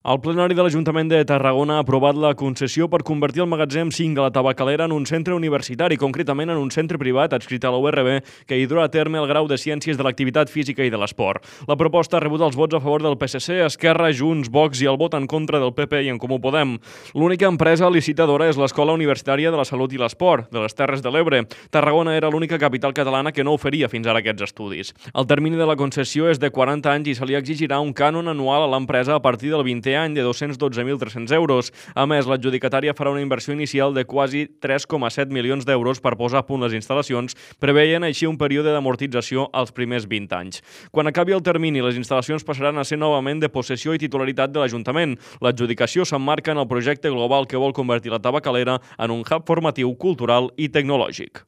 El plenari de l'Ajuntament de Tarragona ha aprovat la concessió per convertir el magatzem 5 de la Tabacalera en un centre universitari, concretament en un centre privat adscrit a la URB que hi durà a terme el grau de Ciències de l'Activitat Física i de l'Esport. La proposta ha rebut els vots a favor del PSC, Esquerra, Junts, Vox i el vot en contra del PP i en Comú Podem. L'única empresa licitadora és l'Escola Universitària de la Salut i l'Esport, de les Terres de l'Ebre. Tarragona era l'única capital catalana que no oferia fins ara aquests estudis. El termini de la concessió és de 40 anys i se li exigirà un cànon anual a l'empresa a partir del 20è any de 212.300 euros. A més, l'adjudicatària farà una inversió inicial de quasi 3,7 milions d'euros per posar a punt les instal·lacions, preveient així un període d'amortització als primers 20 anys. Quan acabi el termini, les instal·lacions passaran a ser novament de possessió i titularitat de l'Ajuntament. L'adjudicació s'emmarca en el projecte global que vol convertir la Tabacalera en un hub formatiu, cultural i tecnològic.